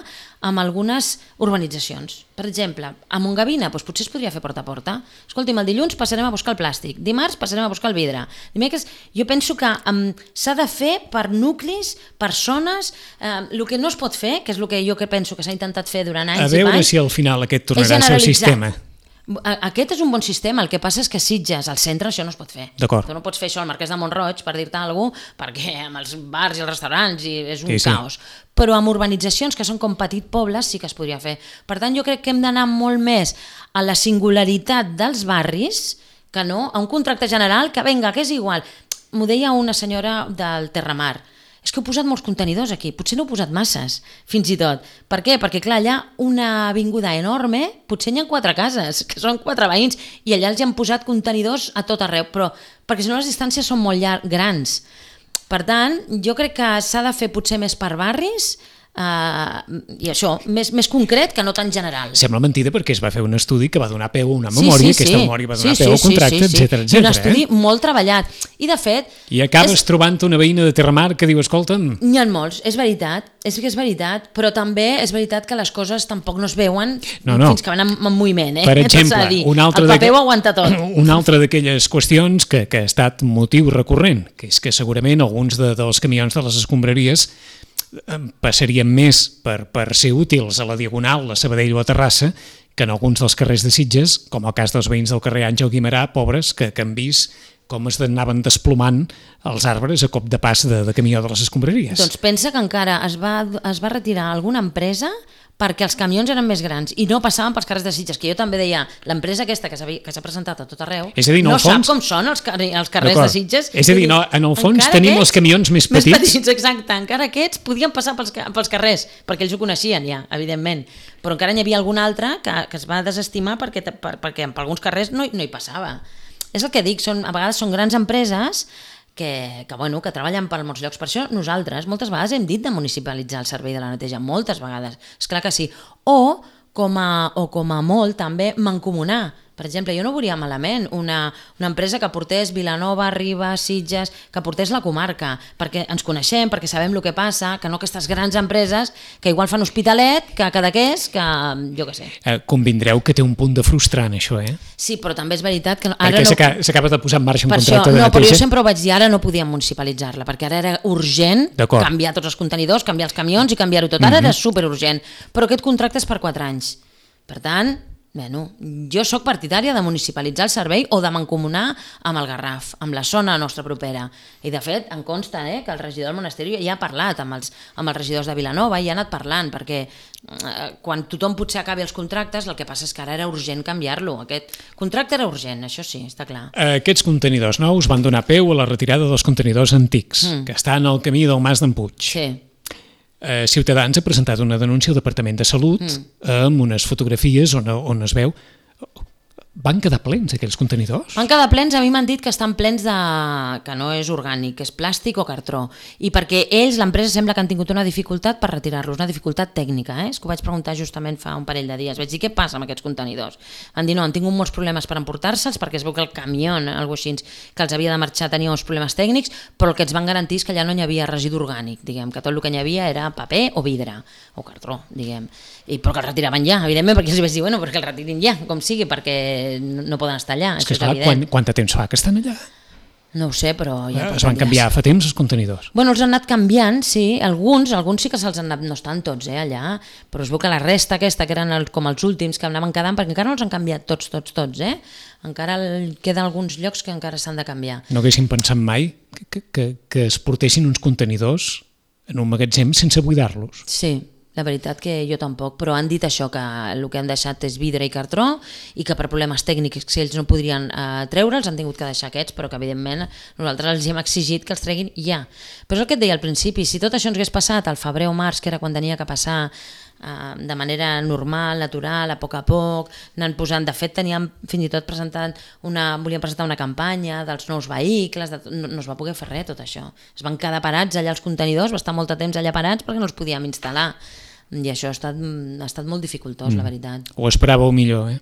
amb algunes urbanitzacions. Per exemple, a Montgavina doncs potser es podria fer porta a porta. Escolti'm, el dilluns passarem a buscar el plàstic, dimarts passarem a buscar el vidre. Dimecres, jo penso que um, s'ha de fer per nuclis, persones, eh, el que no es pot fer, que és el que jo que penso que s'ha intentat fer durant anys A i veure panys, si al final aquest és tornarà a ser el generalitzar. sistema. A- Aquest és un bon sistema, el que passa és que a Sitges, al centre, això no es pot fer. D'acord. Tu no pots fer això al Marquès de Montroig, per dir-te alguna cosa, perquè amb els bars i els restaurants i és un Sí, sí. caos. Però amb urbanitzacions que són com petit pobles sí que es podria fer. Per tant, jo crec que hem d'anar molt més a la singularitat dels barris que no a un contracte general que venga, que és igual. M'ho deia una senyora del Terramar. És que heu posat molts contenidors aquí, potser no heu posat masses, fins i tot. Per què? Perquè, clar, allà una avinguda enorme, potser hi ha quatre cases, que són quatre veïns, i allà els hi han posat contenidors a tot arreu, però perquè si no les distàncies són molt llar- grans. Per tant, jo crec que s'ha de fer potser més per barris, Uh, i això, més, més concret que no tan general. Sembla mentida perquè es va fer un estudi que va donar peu a una memòria, sí, sí, aquesta sí. memòria va donar sí, peu sí, al contracte, sí, sí, sí. etcètera, Un etcètera. estudi Eh? molt treballat. I de fet... I acabes és... trobant una veïna de Terramar que diu, escolta'm, N'hi ha molts, és veritat, és que és veritat, però també és veritat que les coses tampoc no es veuen No, no. fins que van en, en moviment. Eh? per Tot s'ha exemple, de dir. un altre el paper d'aqu- ho aguanta tot. una altra d'aquelles qüestions que, que ha estat motiu recurrent, que és que segurament alguns de, dels camions de les escombraries eh, passarien més per, per ser útils a la Diagonal, a Sabadell o a Terrassa, que en alguns dels carrers de Sitges, com el cas dels veïns del carrer Àngel Guimerà, pobres, que, que han vist com es anaven desplomant els arbres a cop de pas de, de camió de les escombraries. Doncs pensa que encara es va, es va retirar alguna empresa perquè els camions eren més grans i no passaven pels carrers de Sitges, que jo també deia, l'empresa aquesta que s'ha que s'ha presentat a tot arreu, És a dir, en no el fons- sap com són els, carrer, els carrers D'acord. de Sitges. És a dir, no, en el fons Encara tenim aquests- els camions més Més petits. petits, exacte. Encara aquests podien passar pels, ca- pels carrers, perquè ells ho coneixien ja, evidentment. Però encara n'hi havia algun altre que, que es va desestimar perquè, per, perquè per alguns carrers no, hi- no hi passava. És el que dic, són, a vegades són grans empreses que, que, bueno, que treballen per molts llocs. Per això nosaltres moltes vegades hem dit de municipalitzar el servei de la neteja, moltes vegades, és clar que sí. O com a, o com a molt també mancomunar Per exemple, jo no veuria malament una, una empresa que portés Vilanova, Ribes, Sitges, que portés la comarca, perquè ens coneixem, perquè sabem el que passa, que no aquestes grans empreses que igual fan Hospitalet, que Cadaqués, que jo què sé. Eh, convindreu que té un punt de frustrant, això, eh? Sí, però també és veritat que... Ara perquè no... s'acaba de posar en marxa un per contracte això, de no, neteja. però jo sempre ho vaig dir, ara no podíem municipalitzar-la, perquè ara era urgent canviar tots els contenidors, canviar els camions i canviar-ho tot. Ara mm-hmm. era superurgent, però aquest contracte és per quatre anys. Per tant... Bueno, jo sóc partidària de municipalitzar el servei o de mancomunar amb el Garraf, amb la zona nostra propera. I de fet, em consta eh, que el regidor del Monasteri ja ha parlat amb els, amb els regidors de Vilanova i ha anat parlant, perquè eh, quan tothom potser acabi els contractes, el que passa és que ara era urgent canviar-lo. Aquest contracte era urgent, això sí, està clar. Aquests contenidors nous van donar peu a la retirada dels contenidors antics, mm. que estan al camí del Mas d'en Puig. Sí. Eh, Ciutadans ha presentat una denúncia al Departament de Salut mm. amb unes fotografies on, on es veu... Van quedar plens aquells contenidors? Van quedar plens, a mi m'han dit que estan plens de... que no és orgànic, que és plàstic o cartró. I perquè ells, l'empresa, sembla que han tingut una dificultat per retirar-los, una dificultat tècnica. Eh? És que ho vaig preguntar justament fa un parell de dies. Vaig dir, què passa amb aquests contenidors? Van dir, no, han tingut molts problemes per emportar-se'ls, perquè es veu que el camió, algo així, que els havia de marxar tenia uns problemes tècnics, però el que ens van garantir és que allà no hi havia residu orgànic, diguem, que tot el que hi havia era paper o vidre, o cartró, diguem. I, però que el retiraven ja, evidentment, perquè els vaig dir, bueno, perquè el retirin ja, com sigui, perquè no, no poden estar allà. És que, és clar, quan, quant de temps fa que estan allà? No ho sé, però... Ja es van canviar fa temps els contenidors? Bueno, els han anat canviant, sí, alguns, alguns sí que se'ls han anat, no estan tots eh, allà, però es veu que la resta aquesta, que eren el, com els últims que anaven quedant, perquè encara no els han canviat tots, tots, tots, eh? Encara el, queden alguns llocs que encara s'han de canviar. No haguessin pensat mai que, que, que es portessin uns contenidors en un magatzem sense buidar-los? Sí. La veritat que jo tampoc, però han dit això, que el que han deixat és vidre i cartró i que per problemes tècnics, si ells no podrien eh, treure'ls, han tingut que deixar aquests, però que evidentment nosaltres els hem exigit que els treguin ja. Però és el que et deia al principi, si tot això ens hagués passat al febrer o març, que era quan tenia que passar eh, de manera normal, natural, a poc a poc, anant posant, de fet teníem fins i tot presentant una, volíem presentar una campanya dels nous vehicles, de, no, no es va poder fer res tot això. Es van quedar parats allà els contenidors, va estar molt de temps allà parats perquè no els podíem instal·lar. I això ha estat, ha estat molt dificultós, mm. la veritat. Ho esperàveu millor, eh?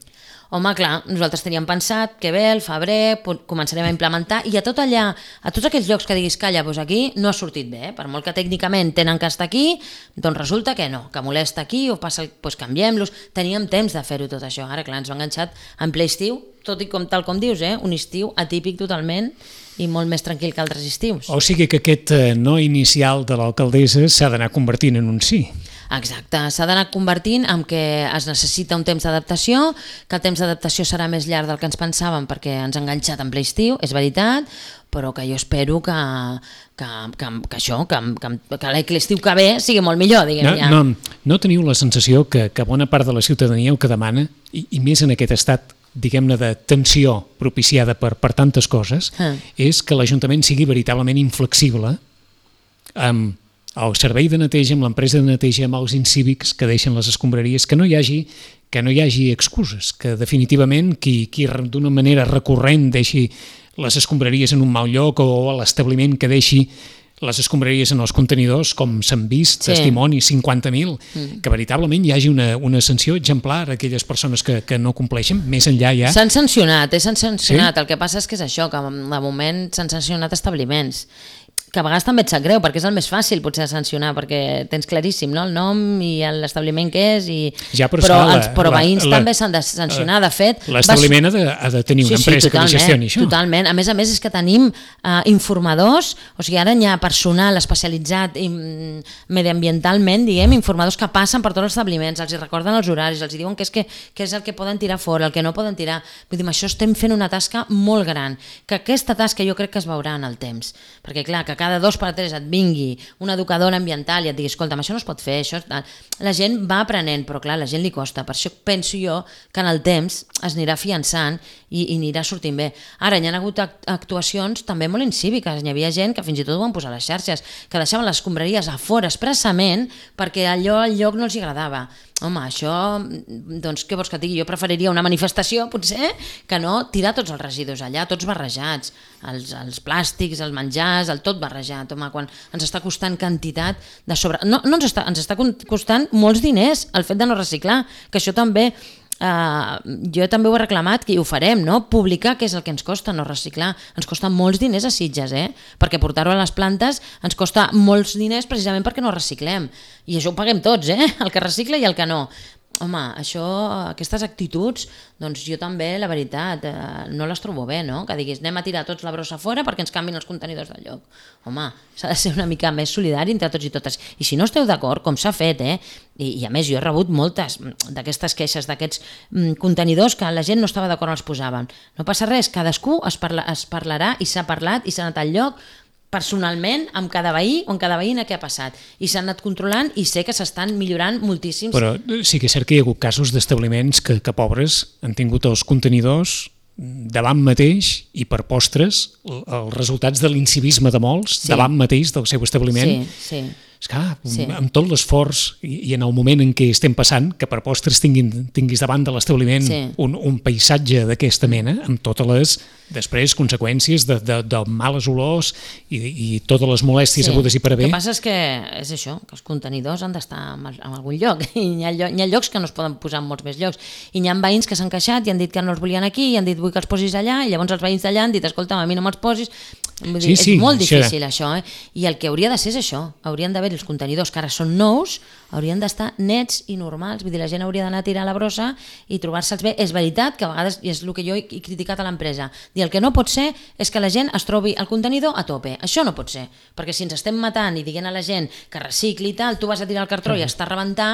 Home, clar, nosaltres teníem pensat que bé, el febrer començarem a implementar i a tot allà, a tots aquells llocs que diguis calla, doncs aquí no ha sortit bé, per molt que tècnicament tenen que estar aquí, doncs resulta que no, que molesta aquí o passa, doncs canviem-los, teníem temps de fer-ho tot això. Ara, clar, ens ho han enganxat en ple estiu, tot i com tal com dius, eh? Un estiu atípic totalment i molt més tranquil que altres estius. O sigui que aquest no inicial de l'alcaldessa s'ha d'anar convertint en un sí. Exacte, s'ha d'anar convertint en que es necessita un temps d'adaptació, que el temps d'adaptació serà més llarg del que ens pensàvem perquè ens ha enganxat en ple estiu, és veritat, però que jo espero que, que, que, que això, que, que, que l'estiu que ve sigui molt millor, diguem no, ja. No, no teniu la sensació que, que bona part de la ciutadania el que demana, i, i més en aquest estat, diguem-ne, de tensió propiciada per, per tantes coses, ah. és que l'Ajuntament sigui veritablement inflexible amb el servei de neteja, amb l'empresa de neteja, amb els incívics que deixen les escombraries, que no hi hagi, que no hi hagi excuses, que definitivament qui, qui d'una manera recurrent deixi les escombraries en un mal lloc o l'establiment que deixi les escombraries en els contenidors, com s'han vist, sí. Testimonis, cinquanta mil, mm. que veritablement hi hagi una, una sanció exemplar a aquelles persones que, que no compleixen, més enllà ja... S'han sancionat, eh? S'han sancionat, sí? El que passa és que és això, que de moment s'han sancionat establiments, que a vegades també et sap greu, perquè és el més fàcil potser sancionar, perquè tens claríssim, no?, el nom i l'establiment que és, i... ja, però, però la, els però la, veïns la, també s'han de sancionar, de fet... L'establiment vas... ha, de, ha de tenir una sí, empresa sí, que li gestioni això. Totalment, a més a més és que tenim uh, informadors, o sigui, ara hi ha personal especialitzat i, mediambientalment, diguem, informadors que passen per tots els establiments, els recorden els horaris, els diuen què és, que, què és el que poden tirar fora, el que no poden tirar. Vull dir, amb això estem fent una tasca molt gran, que aquesta tasca jo crec que es veurà en el temps, perquè clar, que cada dos per tres et vingui una educadora ambiental i et digui, escolta'm, això no es pot fer, això... la gent va aprenent, però clar, la gent li costa, per això penso jo que en el temps es anirà afiançant i, i anirà sortint bé. Ara, hi ha hagut actuacions també molt incíviques, hi havia gent que fins i tot ho van posar a les xarxes, que deixaven les escombraries a fora expressament perquè allò al lloc no els agradava. Home, això, doncs què vols que et digui? Jo preferiria una manifestació, potser, que no tirar tots els residus allà, tots barrejats, els, els plàstics, els menjars, el tot barrejat. Home, quan ens està costant quantitat de sobre... No, no ens està, ens està costant molts diners el fet de no reciclar, que això també Uh, jo també ho he reclamat, que ho farem, no? Publicar què és el que ens costa no reciclar. Ens costa molts diners a Sitges, eh? Perquè portar-ho a les plantes ens costa molts diners precisament perquè no reciclem. I això ho paguem tots, eh? El que recicla i el que no. Home, això, aquestes actituds, doncs jo també, la veritat, eh, no les trobo bé, no? Que diguis, anem a tirar tots la brossa fora perquè ens canvin els contenidors del lloc. Home, s'ha de ser una mica més solidari entre tots i totes. I si no esteu d'acord, com s'ha fet, eh? I, I a més, jo he rebut moltes d'aquestes queixes, d'aquests mm, contenidors que la gent no estava d'acord on els posaven. No passa res, cadascú es, parla, es parlarà i s'ha parlat i s'ha anat al lloc personalment amb cada veí o amb cada veïna què ha passat. I s'han anat controlant i sé que s'estan millorant moltíssims. Però sí que és cert que hi ha hagut casos d'establiments que, que pobres han tingut els contenidors davant mateix i per postres els resultats de l'incivisme de molts sí. davant mateix del seu establiment. Sí, sí. És que, sí. amb tot l'esforç i, i en el moment en què estem passant, que per postres tinguin, tinguis davant de l'establiment sí. un, un paisatge d'aquesta mena, amb totes les després conseqüències de, de, de males olors i, i totes les molèsties sí. hagudes i per haver. El que passa és que és això, que els contenidors han d'estar en, en algun lloc. I hi ha, lloc, hi ha llocs que no es poden posar en molts més llocs. I hi ha veïns que s'han queixat i han dit que no els volien aquí i han dit vull que els posis allà, i llavors els veïns d'allà han dit escolta, a mi no me'ls posis. Vull dir, sí, sí, és molt difícil això, això eh? I el que hauria de ser és això, haurien d'haver els contenidors que ara són nous, haurien d'estar nets i normals, vull dir, la gent hauria d'anar a tirar la brossa i trobar-se'ls bé. És veritat que a vegades, i és el que jo he criticat a l'empresa, dir el que no pot ser és que la gent es trobi el contenidor a tope, això no pot ser, perquè si ens estem matant i dient a la gent que recicli i tal, tu vas a tirar el cartró i està a rebentar.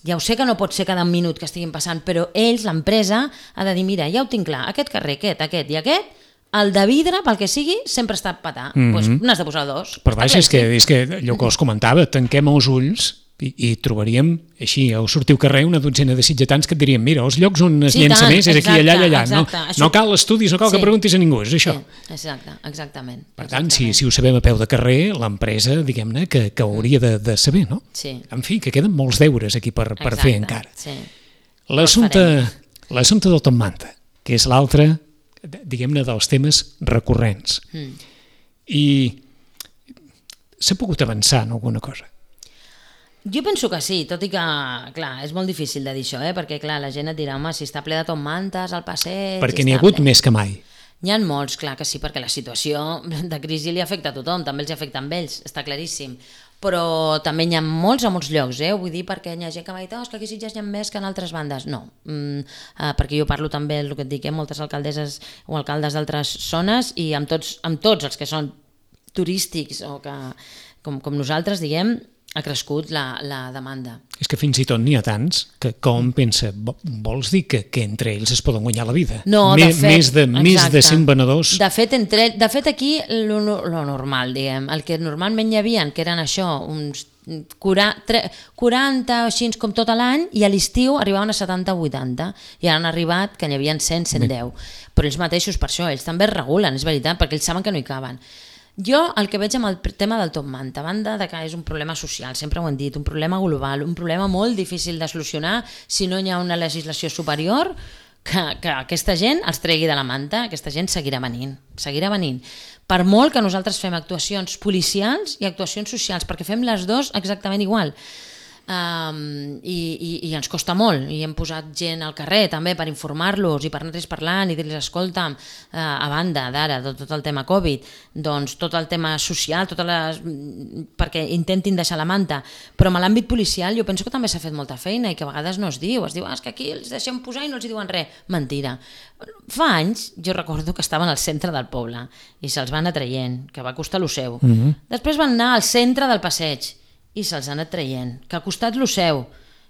Ja ho sé que no pot ser cada minut que estiguin passant, però ells, l'empresa, ha de dir, mira, ja ho tinc clar, aquest carrer, aquest, aquest i aquest, el de vidre, pel que sigui, sempre està a petar. Mm -hmm. Pues n'has de posar dos. Però vaja, és que, és que allò que us comentava, tanquem els ulls i, i trobaríem, així, au sortir al carrer una dotzena de sitgetans que et dirien, mira, els llocs on es sí, llença tant, més és exacte, aquí, allà, allà. Exacte, no, això... no cal estudis, no cal sí. que preguntis a ningú, és això. Sí, exacte, exactament. Per tant, si, si ho sabem a peu de carrer, l'empresa, diguem-ne, que, que hauria de, de saber, no? Sí. En fi, que queden molts deures aquí per, per exacte, fer encara. Sí. L'assumpte l'assumpte del Top Manta, que és l'altre, diguem-ne, dels temes recurrents. Mm. I s'ha pogut avançar en alguna cosa? Jo penso que sí, tot i que, clar, és molt difícil de dir això, eh? Perquè, clar, la gent et dirà, home, si està ple de Top Mantes al passeig... Perquè n'hi ha hagut ple. Més que mai. N'hi ha molts, clar que sí, perquè la situació de crisi li afecta a tothom, també els afecta a ells, està claríssim. Però també n'hi ha molts a molts llocs, eh? Vull dir, perquè hi ha gent que m'ha dit, oh, és que aquí sí ja n'hi ha més que en altres bandes. No, mm, eh, perquè jo parlo també, el que et dic, eh? moltes alcaldesses o alcaldes d'altres zones i amb tots, amb tots els que són turístics o que, com, com nosaltres, diguem, ha crescut la, la demanda. És que fins i tot n'hi ha tants que com pensa, vols dir que, que entre ells es poden guanyar la vida? No, de fet, més de, més de cent venedors? De fet, entre, de fet aquí lo, lo normal, diguem, el que normalment hi havia, que eren això, uns quaranta, quaranta o així com tot l'any, i a l'estiu arribaven a setanta o vuitanta, i ara han arribat que n'hi havia cent, cent deu. Però ells mateixos, per això, ells també es regulen, és veritat, perquè ells saben que no hi caben. Jo el que veig amb el tema del Top Manta, a banda de que és un problema social, sempre ho hem dit, un problema global, un problema molt difícil de solucionar si no hi ha una legislació superior que, que aquesta gent els tregui de la manta, aquesta gent seguirà venint, seguirà venint. Per molt que nosaltres fem actuacions policials i actuacions socials, perquè fem les dues exactament igual. Um, i, i, i ens costa molt, i hem posat gent al carrer també per informar-los i per anar-los parlant i dir-los escolta, uh, a banda d'ara de tot el tema Covid, doncs tot el tema social, totes les... perquè intentin deixar la manta, però en l'àmbit policial jo penso que també s'ha fet molta feina i que a vegades no es diu, es diu ah, és que aquí els deixem posar i no els diuen res, mentira. Fa anys jo recordo que estaven al centre del poble i se'ls van anar traient, que va costar lo seu. Mm-hmm. Després van anar al centre del passeig i se'ls ha anat traient, que ha costat lo seu,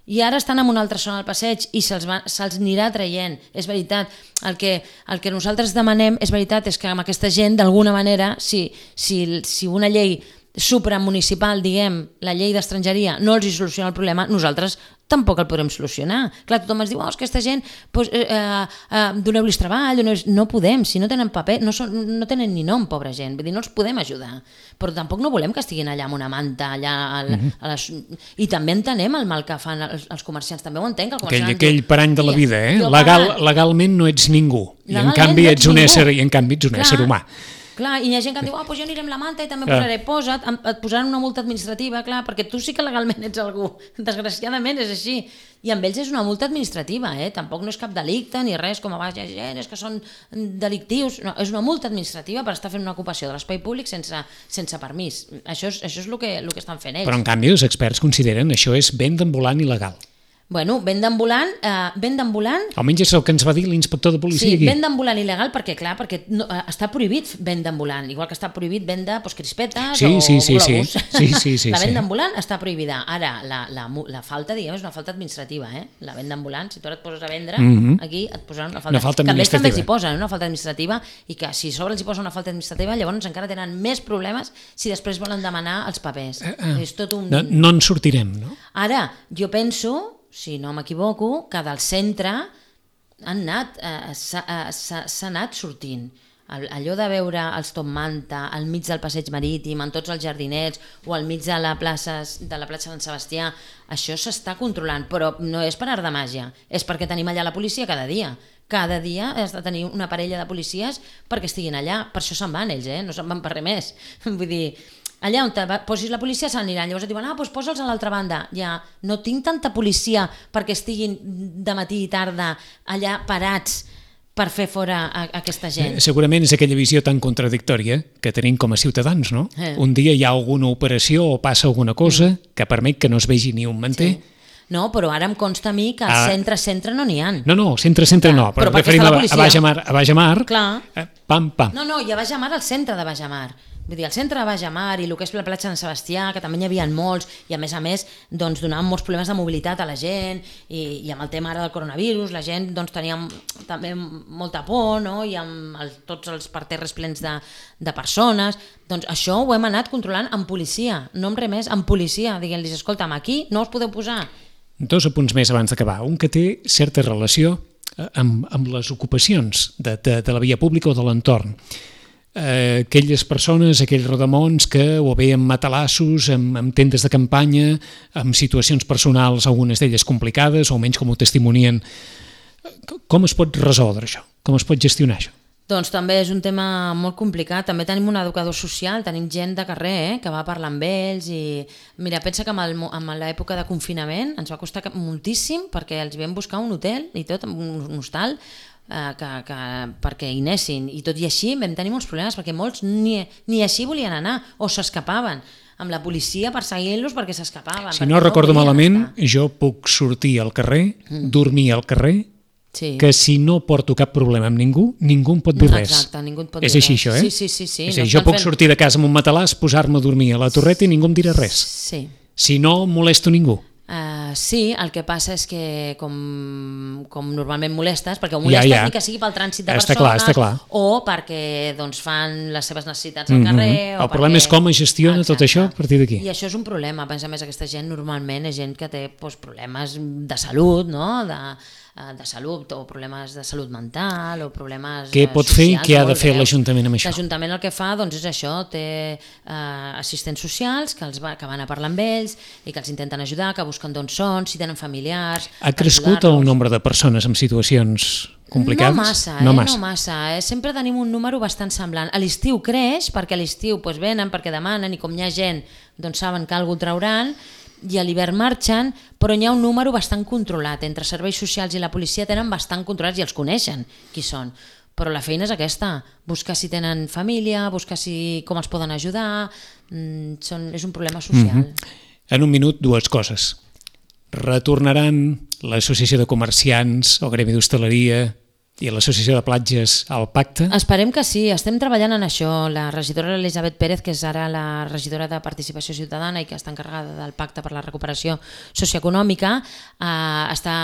i ara estan en una altra zona del passeig i se'ls se anirà traient. És veritat, el que, el que nosaltres demanem, és veritat, és que amb aquesta gent, d'alguna manera, si, si, si una llei supramunicipal, diguem, la llei d'estrangeria, no els hi soluciona el problema, nosaltres tampoc el podrem solucionar. Clar, tothom ens diu, oh, és que aquesta gent, pues, eh, eh, doneu-los treball, doneu no podem, si no tenen paper, no, són, no tenen ni nom, pobra gent, vull dir, no els podem ajudar, però tampoc no volem que estiguin allà amb una manta, allà, a, uh -huh. a les... i també entenem el mal que fan els, els comerciants, també ho entenc. El aquell, aquell parany de la vida, eh? Legal, legalment no ets ningú, i en canvi, no ets un ésser, i en canvi ets un ésser humà. Clar, i hi ha gent que em diu, ah, doncs jo aniré amb la manta i també Clar. posaré, posa't, em- et posaran una multa administrativa, clar, perquè tu sí que legalment ets algú, desgraciadament és així, i amb ells és una multa administrativa, eh? Tampoc no és cap delicte ni res, com a baix, gent, és que són delictius, no, és una multa administrativa per estar fent una ocupació de l'espai públic sense, sense permís, això és, això és el que, el que estan fent ells. Però en canvi els experts consideren això és venda ambulant il·legal. Bueno, venda ambulant, eh, venda ambulant, Almenys és el que ens va dir l'inspector de policia sí, aquí. venda ambulant il·legal perquè, clar, perquè no, eh, està prohibit venda ambulant, igual que està prohibit venda pues, crispetes Sí, o sí, sí, globus. sí. Sí, sí, sí, la venda sí. ambulant està prohibida. Ara, la, la, mu- la falta, diguem, és una falta administrativa, eh? La venda ambulant, si tu ara et poses a vendre, Mhm. aquí et posaran una falta. Una falta que a més també els hi administrativa. posen una falta administrativa i que si a sobre els hi posen una falta administrativa, llavors encara tenen més problemes si després volen demanar els papers. Eh, eh. És tot un... No, no en sortirem, no? Ara, jo penso, si no m'equivoco, que del centre han anat, eh, s'ha eh, s'ha- s'ha anat sortint. El- Allò de veure els Top Manta al mig del passeig marítim, en tots els jardinets, o al mig de la plaça de la platja Sant Sebastià, això s'està controlant, però no és per art de màgia, és perquè tenim allà la policia cada dia. Cada dia has de tenir una parella de policies perquè estiguin allà, per això se'n van ells, eh? No se'n van per res més. Vull dir, allà on te va- posis la policia se n'aniran, llavors et diuen, ah, doncs posa'ls a l'altra banda. Ja, no tinc tanta policia perquè estiguin de matí i tarda allà parats per fer fora a, a aquesta gent. Eh, Segurament és aquella visió tan contradictòria que tenim com a ciutadans, no? Eh. Un dia hi ha alguna operació o passa alguna cosa que permet que no es vegi ni un manter. Sí. No, però ara em consta a mi que al Ah. centre-centre no n'hi ha. No, no, centre, centre Clar, no, però, però perquè referim està a, la a policia. Baix a Mar, a Baix a Mar, Clar. eh, pam, pam. No, no, i a Baix a Mar, al centre de Baix a Mar. Vull dir, al centre de Baix a Mar i el que és la platja de Sant Sebastià, que també n'hi havia molts, i a més a més doncs, donaven molts problemes de mobilitat a la gent, i, i amb el tema ara del coronavirus, la gent doncs, tenia també molta por, no? I amb el, tots els parterres plens de, de persones. Doncs això ho hem anat controlant amb policia, no amb res més, amb policia, dient-los, escolta'm, aquí no us podeu posar. Dos apunts més abans d'acabar. Un que té certa relació eh, amb, amb les ocupacions de, de, de la via pública o de l'entorn. Eh, aquelles persones, aquells rodamons que o bé amb matalassos, amb, amb tendes de campanya, amb situacions personals, algunes d'elles complicades, o almenys com ho testimonien. Com es pot resoldre això? Com es pot gestionar això? Doncs també és un tema molt complicat. També tenim un educador social, tenim gent de carrer eh, que va parlar amb ells i mira, pensa que amb, el, amb l'època de confinament ens va costar moltíssim perquè els vam buscar un hotel i tot, un, un hostal eh, que, que, perquè hi anessin i tot i així vam tenir molts problemes perquè molts ni, ni així volien anar o s'escapaven amb la policia perseguint-los perquè s'escapaven. Si no recordo malament, jo puc sortir al carrer, dormir al carrer, Sí. que si no porto cap problema amb ningú, ningú em pot dir res. Exacte, ningú et pot és dir així res. això, eh? Sí, sí, sí, sí. És No a dir, jo estan puc fent- sortir de casa amb un matalàs, posar-me a dormir a la torreta i ningú em dirà res. Sí. Si no, molesto ningú. Uh, sí, el que passa és que com, com normalment molestes, perquè ho molestes Ja, ja. ni que sigui pel trànsit de Està persones clar, està clar. o perquè doncs, fan les seves necessitats al Mhm. carrer. o El problema perquè... és com es gestiona tot Exacte. això a partir d'aquí. I això és un problema. A més a més, aquesta gent normalment és gent que té doncs, problemes de salut, no? de, eh, de salut o problemes de salut mental o problemes Què eh, pot fer i socials què ha de molt fer greus. l'Ajuntament amb això? L'Ajuntament el que fa doncs, és això, té eh, assistents socials que, els va, que van a parlar amb ells i que els intenten ajudar, que busquen d'on són, si tenen familiars. Ha per crescut el ajudar-los. nombre de persones amb situacions complicades? No massa, eh? no massa. No massa eh? Sempre tenim un número bastant semblant. A l'estiu creix, perquè a l'estiu doncs, venen, perquè demanen, i com hi ha gent, doncs saben que algú trauran, i a l'hivern marxen, però hi ha un número bastant controlat. Entre serveis socials i la policia tenen bastant controlats i els coneixen qui són. Però la feina és aquesta, buscar si tenen família, buscar si, com els poden ajudar, mm, són, és un problema social. Mhm. En un minut, dues coses. Retornaran l'Associació de Comerciants, el Gremi d'Hostaleria i l'Associació de Platges al pacte? Esperem que sí, estem treballant en això. La regidora Elisabet Pérez, que és ara la regidora de Participació Ciutadana i que està encarregada del Pacte per la Recuperació Socioeconòmica, eh, està,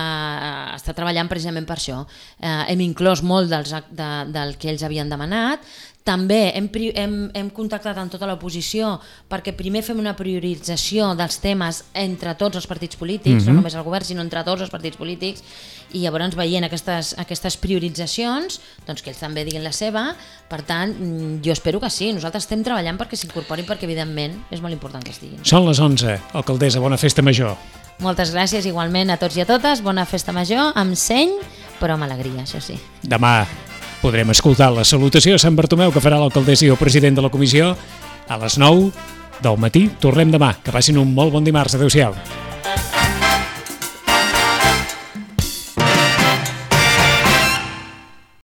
està treballant precisament per això. Eh, hem inclòs molt dels, de, del que ells havien demanat. També hem, hem, hem contactat amb tota l'oposició perquè primer fem una priorització dels temes entre tots els partits polítics, mm-hmm. no només el govern, sinó entre tots els partits polítics, i llavors veient aquestes, aquestes prioritzacions, doncs que ells també diguin la seva. Per tant, jo espero que sí. Nosaltres estem treballant perquè s'incorporin, perquè evidentment és molt important que estiguin. Són les onze, alcaldessa, bona festa major. Moltes gràcies igualment a tots i a totes, bona festa major, amb seny, però amb alegria, això sí. Demà. podrem escoltar la salutació a Sant Bartomeu que farà l'alcaldessa i el president de la comissió a les nou del matí. Tornem demà. Que passin un molt bon dimarts. Adéu-siau.